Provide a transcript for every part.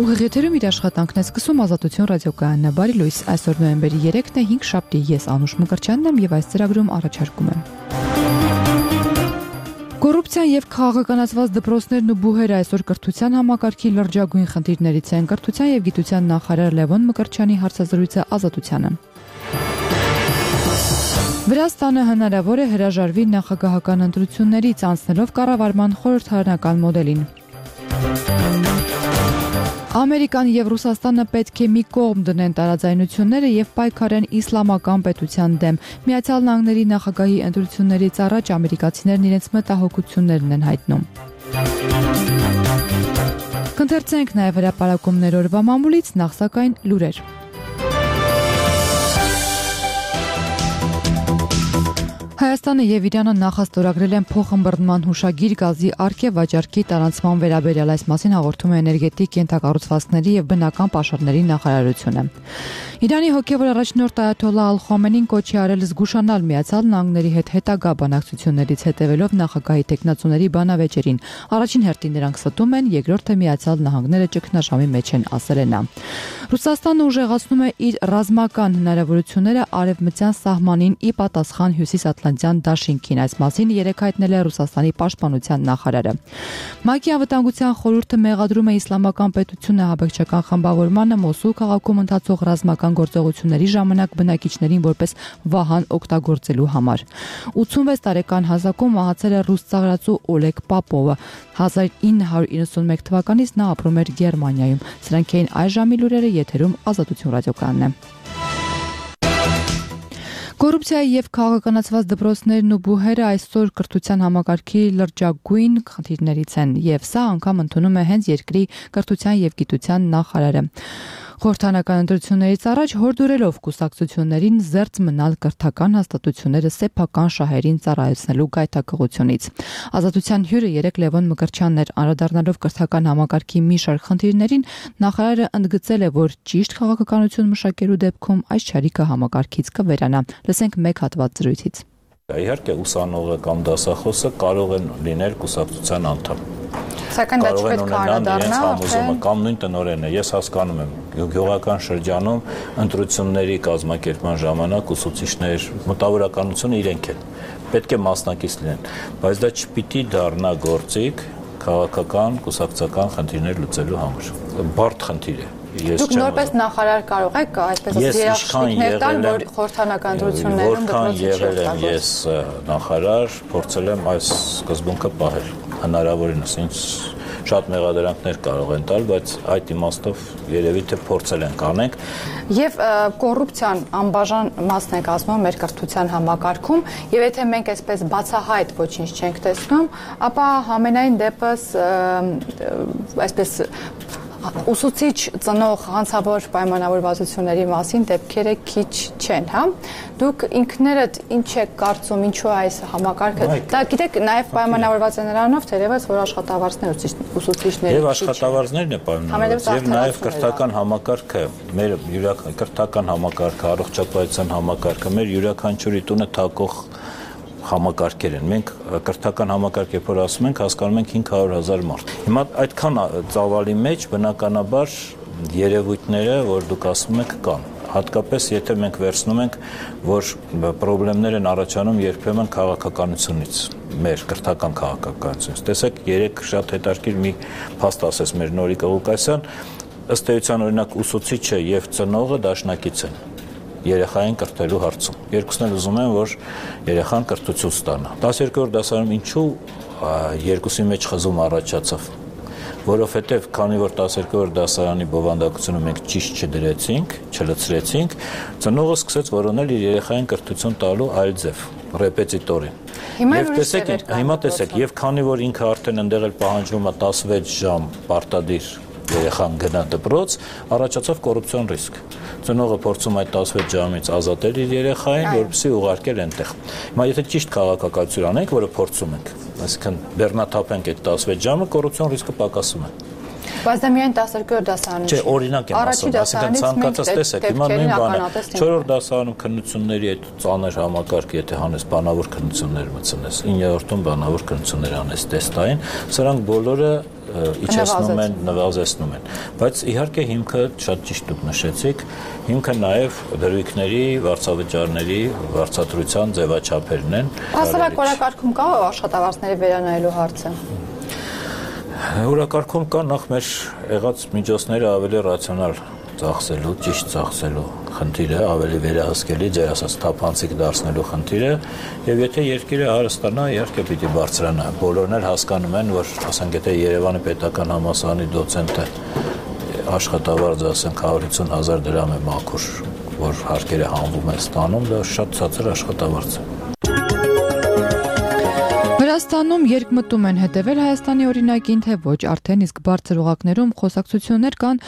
Ուղիղ եթերում իր աշխատանքն է սկսում Ազատություն ռադիոկայանն է։ Բարի լույս, այսօր նոյեմբերի 3-ն է, 5 շաբթի, ես Անուշ Մկրտչյանն եմ եւ այս ծրագրում առաջարկում եմ։ Կոռուպցիան եւ քաղաքականացված դպրոցներն ու բուհերը այսօր կրթության համակարգի լրջագույն խնդիրներից են։ Կրթության եւ գիտության նախարար Լևոն Մկրտչյանի հարցազրույցը Ազատությանը։ Վրաստանը հնարավոր է հրաժարվի նախագահական ընտրություններից անցնելով կառավարման խորհրդարանական մոդելին։ Ամերիկան եւ Ռուսաստանը պետք է մի կողմ դնեն տարաձայնությունները եւ պայքարեն իսլամական պետության դեմ։ Միացյալ Նահանգների նախագահի ընտրություններից առաջ ամերիկացիներն իրենց մտահոգություններն են հայտնում։ Կընթերցենք նաեւ հրապարակումներ օրվա մամուլից, նախ սակայն լուրեր։ Հայաստանը եւ Իրանը նախաստորագրել են փոխըմբռնման հուշագիր գազի արգելվաճառքի տարանցման վերաբերյալ, այս մասին հաղորդում է էներգետիկ ենթակառուցվածքների եւ բնական պաշարների նախարարությունը։ Իրանի հոգեվոր առաջնորդ Այաթոլլահ Ալ-Խոմենին կոչ է արել զգուշանալ Միացյալ Նահանգների հետ հետագա բանակցություններից հետևելով նախագահի տեխնացուների բանավեճերին։ Առաջին հերթին նրանք ստում են, երկրորդը Միացյալ Նահանգները ճգնաժամի մեջ են, ասել է նա։ Ռուսաստանը ուժեղացնում է իր ռազմական հնարավորությունները արևմտյան սահմանին ի պատասխան հյուսիսատլանտյան դաշինքին, այս մասին երեկ հայտնել է Ռուսաստանի պաշտպանության նախարարը։ ՄԱԿ-ի անվտանգության խորհուրդը մեղադրում է իսլամական պետությունը ահաբեկչական խմբավորմանը Մոսուլ քաղաքում ընթացող ռազմական գործողությունների ժամանակ բնակիչներին որպես վահան օգտագործելու համար։ 86 տարեկան հասակում մահացել է ռուս ծաղրածու Օլեգ Պապովը։ 1991 թվականից նա ապրում էր Գերմանիայում։ Սրանք էին այս ժամի լուրերը, եթերում Ազատություն ռադիոկայանն է։ Կոռուպցիայի եւ քաղաքականացված դպրոցներն ու բուհերը այսօր կրթության համակարգի լրջագույն խնդիրներից են, եւ սա անգամ ընդունում է հենց երկրի կրթության եւ գիտության նախարարը։ Խորհրդարանական ընտրություններից առաջ հորդորելով կուսակցություններին զերծ մնալ կրթական հաստատությունները սեփական շահերին ծառայեցնելու գայթակղությունից։ Ազատության հյուրը երեկ Լևոն Մկրտչյանն էր, անդրադառնալով կրթական համակարգի մի շարք խնդիրներին, նախարարը ընդգծել է, որ ճիշտ քաղաքականություն մշակելու դեպքում այս չարիքը համակարգից կվերանա։ Լսենք մեկ հատված զրույցից։ Իհարկե ուսանողը կամ դասախոսը կարող են լինել կուսակցության անդամ։ Սակայն դա չպետք է անդառնա համոզումը կամ նույն տնօրենը, ես հասկանում եմ, գյուղական շրջանում ընտրությունների կազմակերպման ժամանակ ուսուցիչներ մտավորականությունը իրենք են, պետք է մասնակից լինեն, բայց դա չպիտի դառնա գործիք քաղաքական, կուսակցական խնդիրներ լուծելու համար։ Բարդ խնդիր է։ Դուք նորպես նախարար կարող եք այսպես երաշխիքներ տալ, որ խորհրդարանական ընտրություններում դպրոցի եղել եմ ես նախարար, փորձել եմ այս սկզբունքը պահել։ Հնարավորինս ինձ շատ մեղադրանքներ կարող են տալ, բայց այդ իմաստով երևի թե փորձել ենք անենք։ Եվ կոռուպցիան անբաժան մասն է կազմում մեր կրթության համակարգում, եւ եթե մենք այսպես բացահայտ ոչինչ չենք տեսնում, ապա համենայն դեպս այսպես ուսուցիչ ծնող հանցավոր պայմանավորվածությունների մասին դեպքերը քիչ չեն, հա։ Դուք ինքներդ ինչ եք կարծում, ինչու այս համակարգը։ Դա գիտեք, նաև պայմանավորված է նրանով, թերևս որ աշխատավարձներ ուսուցիչների եւ աշխատավարձներն է պայմանավորված եւ նաև կրթական համակարգը, մեր կրթական համակարգը, առողջապահության համակարգը, մեր յուրաքանչյուրի տունը թակող համակարգեր են։ Մենք կրթական համակարգ երբ որ ասում ենք, հասկանում ենք 500,000 մարդ։ Հիմա այդքան ծավալի մեջ բնականաբար երևույթները, որ դուք ասում եք, կան։ Հատկապես եթե մենք վերցնում ենք, որ խնդիրներ են առաջանում երբեմն քաղաքականությունից, մեր կրթական քաղաքականությունից։ Տեսեք, երեք շատ հետաքրքիր մի փաստ ասեց մեր Նորիկ Ղուկասյան, ըստ էության օրինակ ուսուցիչը եւ ծնողը դաշնակից են երեխային կրթելու հարցում։ Երկուսն էլ ուզում են, որ երեխան կրթություն ստանա։ 12-րդ դասարանում ինչու երկուսի մեջ խզում առաջացավ, որովհետև քանի որ 12-րդ դասարանի բովանդակությունը մենք ճիշտ չդրեցինք, չլցրեցինք, ծնողը սկսեց որոնել իր երեխային կրթություն տալու այլ ձև, ռեպետիտորին։ Հիմա տեսեք, եւ քանի որ ինքը արդեն ընդեղ էլ պահանջվում է 16 ժամ պարտադիր երեխան գնա դպրոց, առաջացավ կոռուպցիոն ռիսկ։ Ծնողը փորձում այդ 16 ժամից ազատել իր երեխային, որպեսզի ուղարկել այնտեղ։ Հիմա եթե ճիշտ քաղաքականություն անենք, որը փորձում ենք, այսինքն բեռնաթափենք այդ 16 ժամը, կոռուպցիոն ռիսկը պակասում է։ Բայց դա միայն 12-րդ դասարանում չէ, օրինակ եմ ասում, այսինքն ցանկացած տեսեք, հիմա նույն բանը 4-րդ դասարանում քննությունների այդ ծանր համակարգ, եթե հանես բանավոր քննություններ մտցնես, 9-րդում բանավոր քննություններ անես տեստային, սրանք բոլորը իջեցնում են, նվազեցնում են։ Բայց իհարկե հիմքը շատ ճիշտ դուք նշեցիք, հիմքը նաև դրույքների, վարձավճարների, վարձատրության ձևաչափերն են։ Հասարակ օրակարգում կա աշխատավարձների վերանայելու հարցը։ Օրակարգում կա նախ մեր եղած միջոցները ավելի ռացիոնալ ծախսելու, ճիշտ ծախսելու խնդիրը, ավելի վերահսկելի, ձեր ասած թափանցիկ դարձնելու խնդիրը, եւ եթե երկիրը հարստանա, իհարկե պիտի բարձրանա։ Բոլորն էլ հասկանում են, որ ասենք եթե Երևանի պետական համալսարանի դոցենտը աշխատավարձ ասենք 150,000 դրամ է մաքուր, որ հարկերը հանվում են ստանում, դա շատ ցածր աշխատավարձ է։ Վրաստանում երկմտում են հետևել Հայաստանի օրինակին, թե ոչ, արդեն իսկ բարձր օղակներում խոսակցություններ կան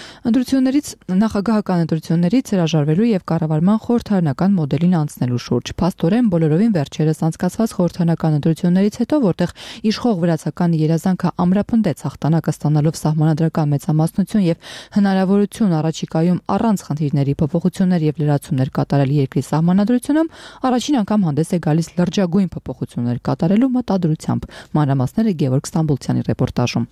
նախագահական ընտրություններից հրաժարվելու եւ կառավարման խորհրդարանական մոդելին անցնելու շուրջ։ Փաստորեն բոլորովին վերջերս անցկացված խորհրդարանական ընտրություններից հետո, որտեղ իշխող վրացական երազանքը ամրապնդեց հաղթանակը ստանալով սահմանադրական մեծամասնություն եւ հնարավորություն առաջիկայում առանց խնդիրների փոփոխություններ եւ լրացումներ կատարել երկրի սահմանադրությունում, առաջին անգամ հանդես է գալիս լրջագույն փոփոխություններ կատարելու մտադրությամբ։ Մանրամասները Գևորգ Ստամբուլցյանի ռեպորտաժում։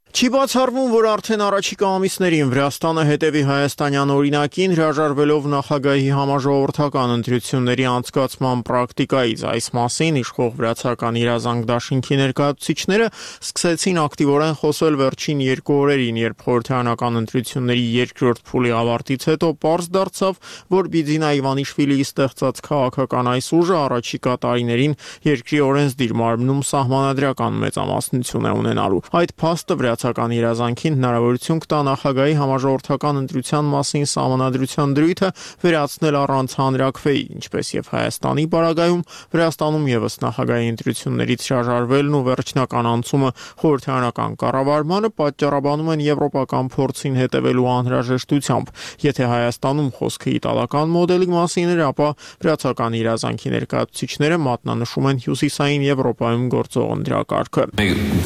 Չի բացառվում, որ արդեն առաջիկա ամիսներին Վրաստանը հետևի հայաստանյան օրինակին, հրաժարվելով նախագահի համաժողովրդական ընտրությունների անցկացման պրակտիկայից։ Այս մասին իշխող վրացական իրազանգ դաշինքի ներկայացուցիչները սկսեցին ակտիվորեն խոսել վերջին 2 օրերին, երբ խորհրդարանական ընտրությունների երկրորդ փուլի ավարտից հետո պարզ դարձավ, որ Բիձինա Իվանիշվիլիի ստեղծած քաղաքական այս ուժը առաջիկա տարիներին երկրի օրենսդիր մարմնում սահմանադրական մեծամասնություն է ունենալու։ Այդ փաստը վրացական երազանքին հնարավորություն կտա նախագահի համաժողովրդական ընտրության մասին սահմանադրության դրույթը վերացնել առանց հանրաքվեի, ինչպես եւ Հայաստանի պարագայում Վրաստանում եւս նախագահի ընտրություններից հրաժարվելն ու վերջնական անցումը խորհրդարանական կառավարմանը պատճառաբանում են եվրոպական փորձին հետևելու անհրաժեշտությամբ։ Եթե Հայաստանում խոսքը իտալական մոդելի մասին էր, ապա վրացական երազանքի ներկայացուցիչները մատնանշում են հյուսիսային Եվրոպայում գործող ընտրակարգը։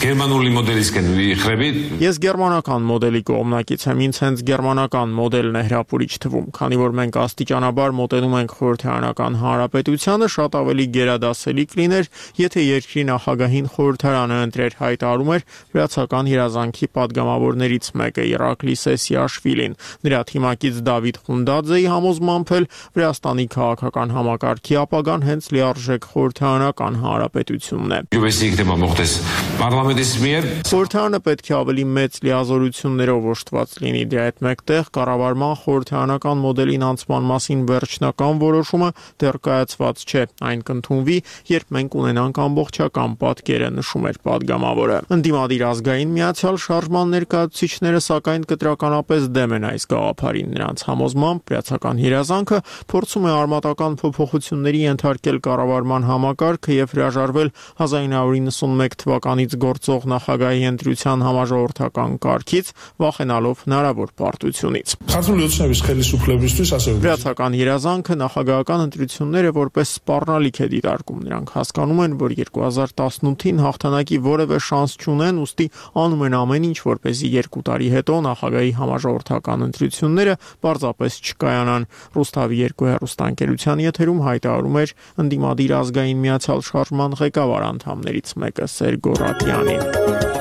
Գերմանուլի մոդելից Ես գերմանական մոդելի կողմնակից եմ, ինձ հենց գերմանական մոդելն է հրապուրիչ թվում, քանի որ մենք աստիճանաբար մոտենում ենք խորհրդարանական հանրապետությանը, շատ ավելի գերադասելի կլիներ, եթե երկրի նախագահին խորհրդարանը ընտրեր, հայտարարում էր վրացական երազանքի падգամավորներից մեկը Իրակլի Սեսիաշվիլին։ Նրա թիմակից Դավիթ Խունդաձեի համոզմամբ էլ Վրաստանի քաղաքական համակարգի ապագան հենց լիարժեք խորհրդարանական հանրապետությունն է։ Խորհրդարանը պետք է ավելի մեծ լիազորություններով օժտված լինի, դրա հետ մեկտեղ կառավարման խորհրդարանական մոդելին անցման մասին վերջնական որոշումը դեռ կայացված չէ, այն կընդունվի, երբ մենք ունենանք ամբողջական պատկերը, նշում էր падգամավորը։ Ընդդիմադիր ազգային միացյալ շարժման ներկայացուցիչները սակայն կտրականապես դեմ են այս գաղափարին, նրանց համոզմամբ վրացական երազանքը փորձում է արմատական փոփոխությունների ենթարկել կառավարման համակարգը եւ հրաժարվել 1991 թվականից գործող նախագահի ընտրության համաժողովրդական կարգից, վախենալով հնարավոր պարտությունից։ Վրացական երազանքը նախագահական ընտրությունները որպես սպառնալիք է դիտարկում։ Նրանք հասկանում են, որ 2018-ին հաղթանակի որևէ շանս չունեն, ուստի անում են ամեն ինչ, որպեսզի 2 տարի հետո նախագահի համաժողովրդական ընտրությունները պարզապես չկայանան։ Ռուսթավի 2 հեռուստաընկերության եթերում հայտարարում էր ընդդիմադիր ազգային միացյալ շարժման ղեկավար անդամներից մեկը Սերգո Ռատյանին։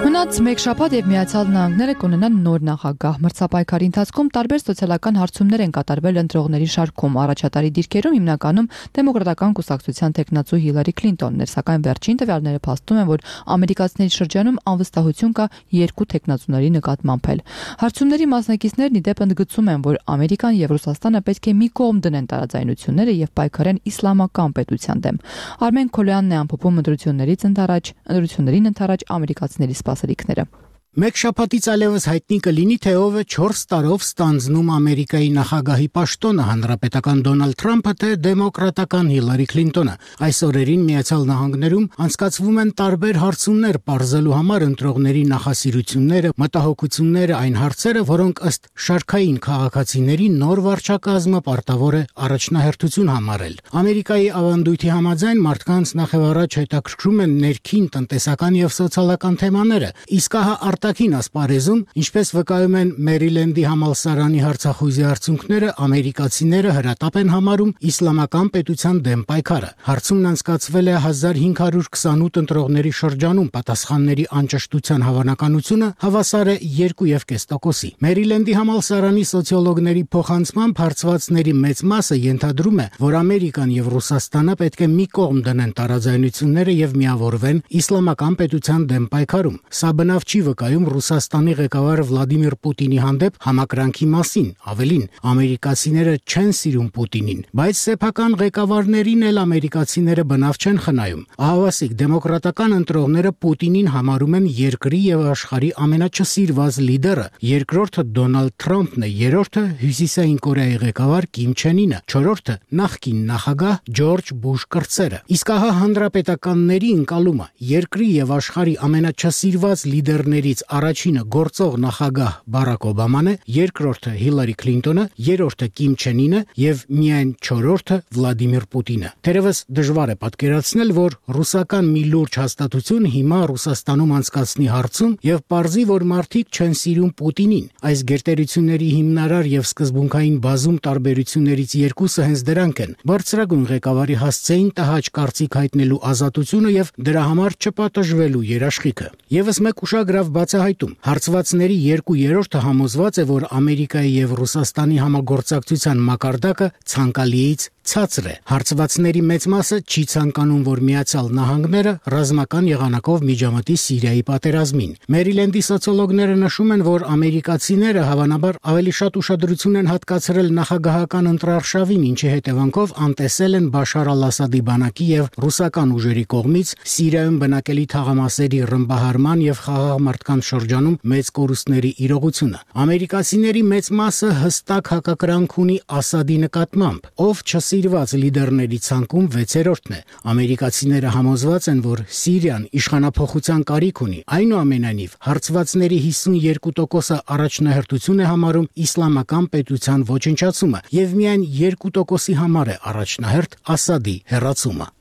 Մնաց մեկ շաբաթ եւ Միացյալ Նահանգները կունենան նոր նախագահ։ Մրցապայքարի ընթացքում տարբեր սոցիալական հարցումներ են կատարվել ընտրողների շարքում։ Առաջատարի դիրքերում հիմնականում դեմոկրատական կուսակցության տեխնացու Հիլարի Քլինտոնն էր, սակայն վերջին տվյալները փաստում են, որ ամերիկացիների շրջանում անվստահություն կա 2 տեխնացուների նկատմամբ էլ։ Հարցումների մասնակիցներն ի դեպ ընդգծում են, որ Ամերիկան եւ Ռուսաստանը պետք է մի կողմ դնեն տարաձայնությունները եւ պայքարեն իսլամական պետության դեմ։ Արմեն Քոլյանն է ամփոփում ընտրություններին ընթരാճ ամերիկացիների սպասելիքները։ Մեկ շաբաթից այլևս հայտնի կլինի, թե ով է 4 տարով ստանձնում Ամերիկայի նախագահի պաշտոնը, հանրապետական Դոնալդ Թրամփը, թե դեմոկրատական Հիլարի Քլինտոնը։ Այս օրերին Միացյալ Նահանգներում անցկացվում են տարբեր հարցումներ պարզելու համար ընտրողների նախասիրությունները, մտահոգությունները, այն հարցերը, որոնք ըստ շարքային քաղաքացիների նոր վարչակազմը պարտավոր է առաջնահերթություն համարել։ Ամերիկայի ավանդույթի համաձայն մարդկանց նախևառաջ հետաքրքրում են ներքին տնտեսական եւ սոցիալական թեմաները, իսկ հա Արտաքին ասպարեզում, ինչպես վկայում են Մերիլենդի համալսարանի հարցախույզի արդյունքները, ամերիկացիները հրատապ են համարում իսլամական պետության դեմ պայքարը։ Հարցումն անցկացվել է 1528 ընտրողների շրջանում, պատասխանների անճշտության հավանականությունը հավասար է 2.5%-ի։ Մերիլենդի համալսարանի սոցիոլոգների փոխանցմամբ հարցվածների մեծ մասը ենթադրում է, որ Ամերիկան եւ Ռուսաստանը պետք է մի կողմ դնեն տարաձայնությունները եւ միավորվեն իսլամական պետության դեմ պայքարում։ Սա բնավ չի վկայում Ռուսաստանի ղեկավար Վլադիմիր Պուտինի հանդեպ համակրանքի մասին, ավելին, ամերիկացիները չեն սիրում Պուտինին, բայց սեփական ղեկավարներին էլ ամերիկացիները բնավ չեն խնայում։ Ահավասիկ դեմոկրատական ընտրողները Պուտինին համարում են երկրի եւ աշխարհի ամենաչսիրված լիդերը, երկրորդը Դոնալդ Թրամփն է, երրորդը Հյուսիսային Կորեայի ղեկավար Կիմ Չեն Ինը, չորրորդը նախկին նախագահ Ջորջ Բուշ կրտսերը։ Իսկ ահա հանրապետականների ընկալումը երկրի եւ աշխարհի ամենաչսիրված լիդերներից առաջինը գործող նախագահ Բարակ Օբաման է, երկրորդը Հիլարի Քլինտոնը, երրորդը Կիմ Չեն Ինը եւ միայն չորրորդը Վլադիմիր Պուտինը։ Թերևս դժվար է պատկերացնել, որ ռուսական մի լուրջ հաստատություն հիմա Ռուսաստանում անցկացնի հարցում եւ պարզի, որ մարդիկ չեն սիրում Պուտինին։ Այս գերտերությունների հիմնարար եւ սկզբունքային բազում տարբերություններից երկուսը հենց դրանք են՝ բարձրագույն ղեկավարի հասցեին տհաճ կարծիք հայտնելու ազատությունը եւ դրա համար չպատժվելու երաշխիքը։ Եվս մեկ ուշագրավ բացահայտում. հարցվածների 2/3-ը համոզված է, որ Ամերիկայի եւ Ռուսաստանի համագործակցության մակարդակը ցանկալիից ցածր է։ Հարցվածների մեծ մասը չի ցանկանում, որ Միացյալ Նահանգները ռազմական եղանակով միջամտի Սիրիայի պատերազմին։ Մերիլենդի սոցիոլոգները նշում են, որ ամերիկացիները հավանաբար ավելի շատ ուշադրություն են հատկացրել նախագահական ընտրարշավին, ինչի հետևանքով անտեսել են Բաշար al-Ասադի բանակի եւ ռուսական ուժերի կողմից Սիրիայում բնակելի թաղամասերի ռմբահարման եւ խաղաղ մարդկանց շրջանում մեծ կորուստների իրողությունը։ Ամերիկացիների մեծ մասը հստակ հակակրանք ունի Ասադի նկատմամբ, ով սիրված լիդերների ցանկում 6-րդն է։ Ամերիկացիները համոզված են, որ Սիրիան իշխանափոխության կարիք ունի։ Այնուամենայնիվ, հարցվածների 52%-ը առաջնահերթություն է համարում իսլամական պետության ոչնչացումը եւ միայն 2%-ի համար է առաջնահերթ Ասադի հեռացումը։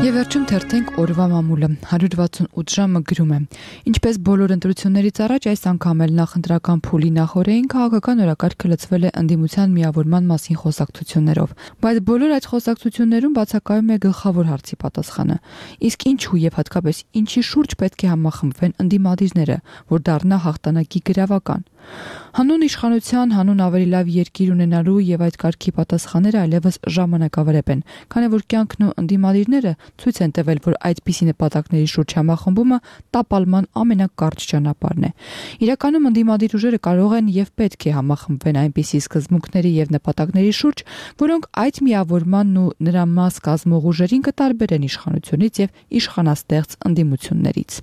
Եվ վերջում թերթենք օրվա մամուլը 168 ժամը գրում է. Ինչպես բոլոր ընտրություններից առաջ այս անգամ էլ նախընտրական փուլի նախօրեին քաղաքական օրակարգը լցվել է ընդդիմության միավորման մասին խոսակցություններով, բայց բոլոր այդ խոսակցություններում բացակայում է գլխավոր հարցի պատասխանը. իսկ ինչու եւ հատկապես ինչի շուրջ պետք է համախմբվեն ընդդիմադիրները, որ դառնա հաղթանակի գրավական։ Հանուն իշխանության, հանուն ավելի լավ երկիր ունենալու եւ այդ կարգի պատասխանները այլևս ժամանակավրեպ են, քանի որ կյանքն ու ընդդիմադիրները ցույց են տվել, որ այդպիսի նպատակների շուրջ համախմբումը տապալման ամենակարճ ճանապարհն է։ Իրականում ընդդիմադիր ուժերը կարող են եւ պետք է համախմբվեն այնպիսի սկզբունքների եւ նպատակների շուրջ, որոնք այդ միավորմանն ու նրա մաս կազմող ուժերին կտարբերեն իշխանությունից եւ իշխանաստեղծ ընդդիմություններից։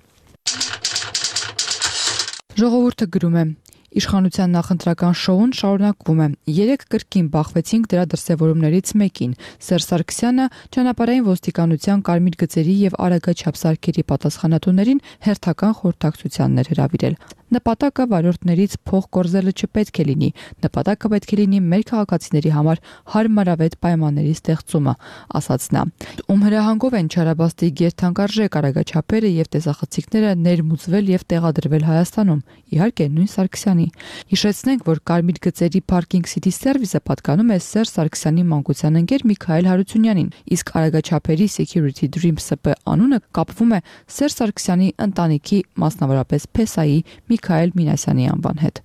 Ժողովուրդը գրում է. Իշխանության նախընտրական շոուն շարունակվում է։ Երեք կրկին բախվեցինք դրա դրսևորումներից մեկին։ Սերժ Սարգսյանը ճանապարհային ոստիկանության կարմիր գծերի եւ արագաչափ սարքերի պատասխանատուներին հերթական խորհրդակցությաններ հրավիրել։ Նպատակը վարորդներից փող կորզելը չպետք է լինի։ Նպատակը պետք է լինի մեր քաղաքացիների համար հարմարավետ պայմանների ստեղծումը, ասաց նա։ Ում հրահանգով են չարաբաստի գերթանկարժեք արագաչափերը եւ տեսախցիկները ներմուծվել եւ տեղադրվել Հայաստանում։ Իհարկե նույն Սարգսյանի։ Հիշեցնենք, որ Կարմիր գծերի Parking City Service-ը պատկանում է Սերժ Սարգսյանի մանկության ընկեր Միքայել Հարությունյանին, իսկ արագաչափերի Security Dream SP անունը կապվում է Սերժ Սարգսյանի ընտանիքի, մասնավորապես Փեսայի Միքայել Մինասյանի անվան հետ։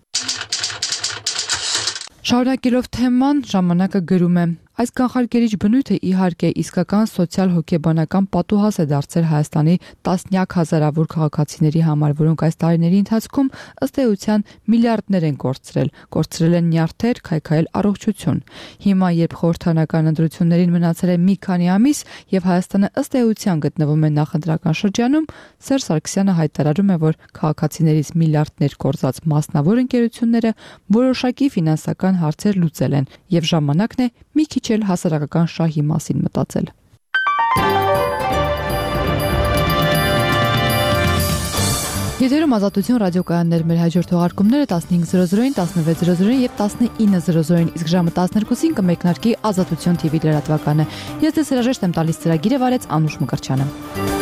Շարունակելով թեման, ժամանակը գրում է. Այս կանխարգելիչ բնույթը իհարկե իսկական սոցիալ-հոգեբանական պատուհաս է դարձել Հայաստանի տասնյակ հազարավոր քաղաքացիների համար, որոնք այս տարիների ընթացքում ըստ էության միլիարդներ են կորցրել են նյարդեր, քայքայել առողջություն։ Հիմա, երբ խորհրդանական ընտրություններին մնացել է մի քանի ամիս եւ Հայաստանը ըստ էության գտնվում է նախընտրական շրջանում, Սերժ Սարգսյանը հայտարարում է, որ քաղաքացիներից միլիարդներ կորզած մասնավոր ընկերությունները որոշակի ֆինանսական հարցեր լուծել են եւ ժամանակն է մի քիչ հասարակական շահի մասին մտածել։ Եթերում Ազատություն ռադիոկայաններ, մեր հաջորդ թողարկումները 15:00-ին, 16:00-ին եւ 19:00-ին, իսկ ժամը 12-ին կմեկնարկի Ազատություն TV լրատվականը։ Ես ձեզ հրաժեշտ եմ տալիս ծրագիրը վարեց Անուշ Մկրտչյանը։